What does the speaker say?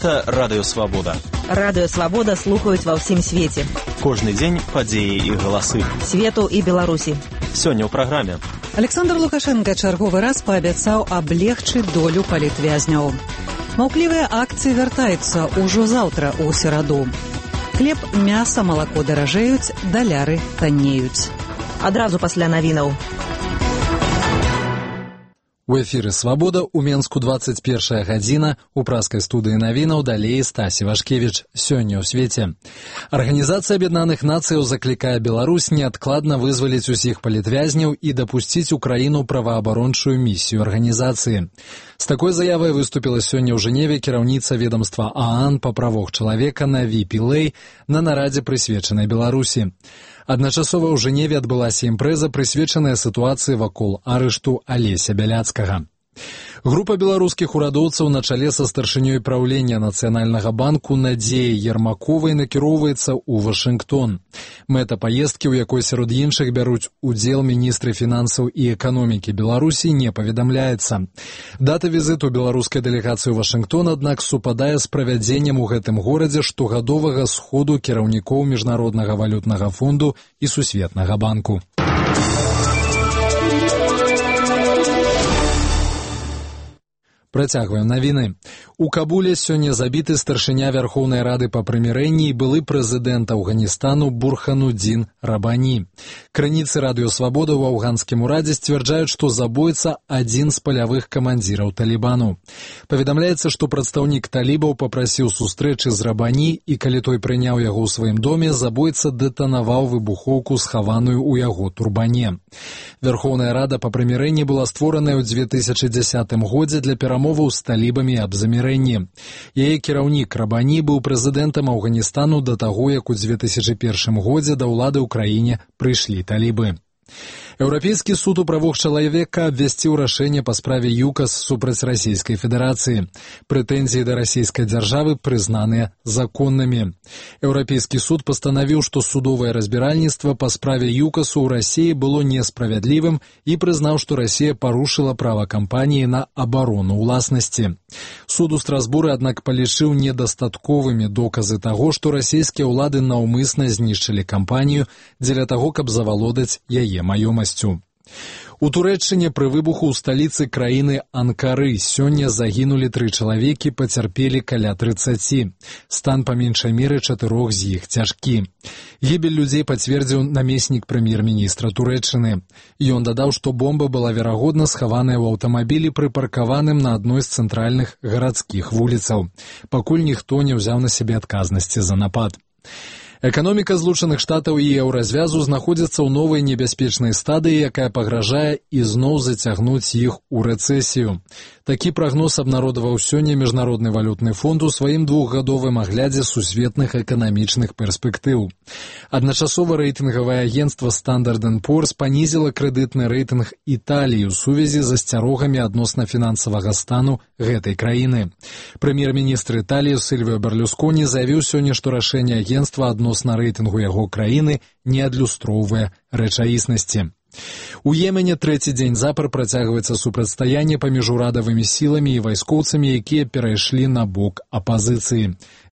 Гэта Радыё Свабода. Радыё Свабода слухаюць ва ўсім свеце. Кожны дзень падзеі і галасы. Свету і Беларусі. Сёння ў праграме. Александр Лукашенко чарговы раз паабяцаў аблегчыць долю палітвязняў. Маўклівыя акцыі вяртаюцца ўжо заўтра ў сераду. Хлеб, мяса, малако даражэюць, даляры таннеюць. Адразу пасля навінаў. У эфіры «Свабода» у Менску 21 гадзіна, у праскай студыі навінаў далей Стасі Вашкевіч. Сёння ў свеце. Арганізацыя Аб'яднаных Нацыяў заклікае Беларусь неадкладна вызваліць усіх палітвязняў і дапусціць у краіну праваабарончую місію арганізацыі. З такой заявай выступіла сёння ў Жэневе кіраўніца ведомства ААН па правах чалавека Наві Пілэй на нарадзе, прысвечанай Беларусі. Адначасова ў Жэневе адбылася імпрэза, прысвечаная сітуацыі вакол арышту Алеся Бяляцкага. Група беларускіх урадоўцаў на чале са старшынёй праўлення Нацыянальнага банку Надзеяй Ермаковай накіроўваецца ў Вашынгтон. Мэта паездкі, у якой сярод іншых бяруць удзел міністры фінансаў і эканомікі Беларусі, не паведамляецца. Дата візіту беларускай дэлегацыі ў Вашынгтон, аднак, супадае з правядзеннем у гэтым горадзе штогадовага сходу кіраўнікоў Міжнароднага валютнага фонду і Сусветнага банку. Працягваем навіны. У Кабуле сёння забіты старшыня Вярхоўнай Рады па прымірэнні і былы прэзідэнт Афганістану Бурханудзін Рабані. Крыніцы Радыё Свабода ў афганскім урадзе сцвярджаюць, што забойца адзін з палявых камандзіраў Талібану. Паведамляецца, што прадстаўнік талібаў папрасіў сустрэчы з Рабані, і калі той прыняў яго ў сваім доме, забойца дэтанаваў выбухоўку, схаваную ў яго турбане. Вярхоўная Рада па прымірэнні была створаная ў 2010 годзе для перамоваў з талібамі аб замірэнні. Яе кіраўнік Рабані быў прэзідэнтам Афганістану да таго, як у 2001 годзе да ўлады ў краіне прыйшлі талібы. Еўрапейскі суд у правах чалавека абвясціў рашэнне па справе ЮКАС супраць Расійскай Федэрацыі. Прэтэнзіі да расійскай дзяржавы прызнаныя законнымі. Еўрапейскі суд пастанавіў, што судовае разбіральніцтва па справе ЮКАСу ў Расіі было несправядлівым і прызнаў, што Расія парушыла права кампаніі на абарону ўласнасці. Суд у Страсбуры, аднак, палічыў недастатковымі доказы таго, што расійскія ўлады наўмысна знішчылі кампанію дзеля таго, каб завалодаць яе маёмасцю. У Турэччыне пры выбуху ў сталіцы краіны Анкары сёння загінулі 3 чалавекі, пацярпелі каля 30. Стан па меншай меры 4 з іх цяжкі. Гібель людзей пацвердзіў намеснік прэм'ер-міністра Турэччыны. Ён дадаў, што бомба была верагодна схаваная ў аўтамабілі, прыпаркаваным на адной з цэнтральных гарадскіх вуліцаў. Пакуль ніхто не ўзяў на сябе адказнасці за напад. Эканоміка Злучаных Штатаў і еўразвязу знаходзіцца ў новай небяспечнай стадыі, якая пагражае ізноў зацягнуць іх у рэцэсію. Такі прагноз абнародаваў сёння Міжнародны валютны фонд у сваім 2-гадовым аглядзе сусветных эканамічных перспектыў. Адначасова рэйтынгавае агенцтва Standard & Poor's панізіла крэдытны рэйтынг Італіі ў сувязі з асцярогамі адносна фінансавага стану гэтай краіны. Прэм'ер-міністр Італіі Сільвіо Берлусконі заявіў сёння, што рашэнне агенцтва адносна рэйтынгу яго краіны не адлюстроўвае рэчаіснасці. У Йемене 3-й дзень запар працягваецца супрацьстаянне паміж урадавымі сіламі і вайскоўцамі, якія перайшлі на бок апазіцыі.